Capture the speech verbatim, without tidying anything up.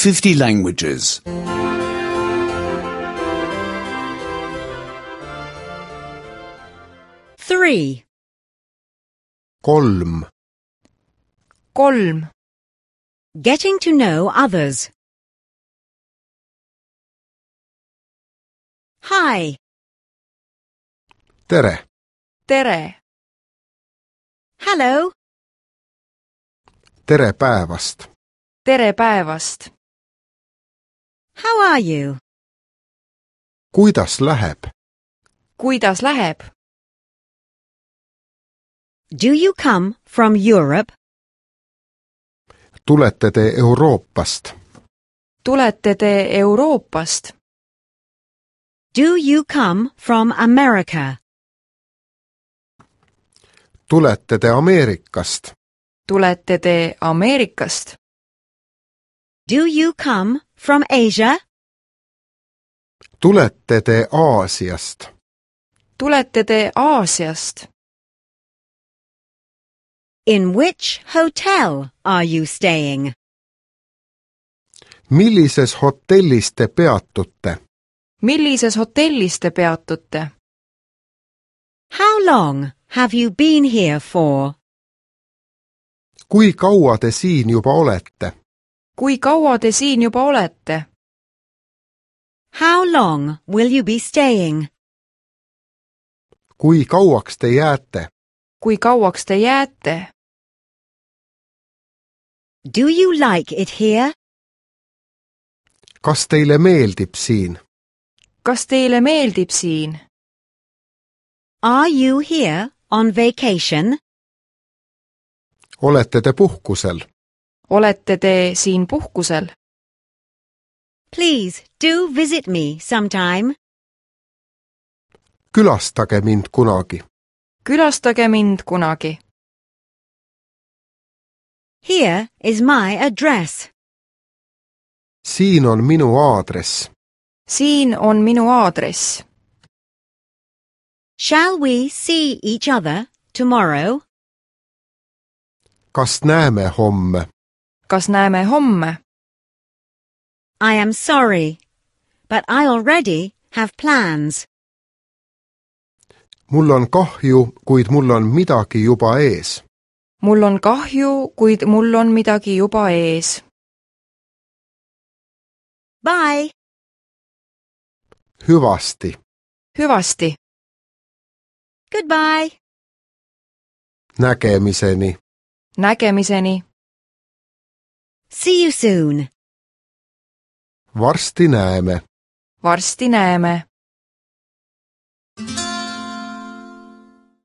fifty languages. Three. kolm, kolm, Getting to know others. Hi. tere, tere, Hello. tere päevast, tere päevast, How are you? kuidas läheb, kuidas läheb, Do you come from Europe? tulete te Euroopast, tulete te Euroopast, Do you come from America? tulete te Ameerikast, tulete te Ameerikast, Do you come from Asia? tulete te Aasiast, tulete te Aasiast, In which hotel are you staying? millises hotellis te peatute, millises hotellis te peatute, How long have you been here for? kui kaua te siin juba olete, kui kaua te siin juba olete, How long will you be staying? kui kauaks te jääte, kui kauaks te jääte, Do you like it here? kas teile meeldib siin, kas teile meeldib siin, Are you here on vacation? olete te puhkusel, olete te siin puhkusel, Please do visit me sometime. külastage mind kunagi, külastage mind kunagi, Here is my address. siin on minu aadress, siin on minu aadress, Shall we see each other tomorrow? kas näeme homme, kas näeme homme, I am sorry, but I already have plans. mul on kahju, kuid mul on midagi juba ees, mul on kahju, kuid mul on midagi juba ees, Bye. hüvasti, hüvasti, Goodbye. nägemiseni. nägemiseni, See you soon. varsti näeme. varsti näeme.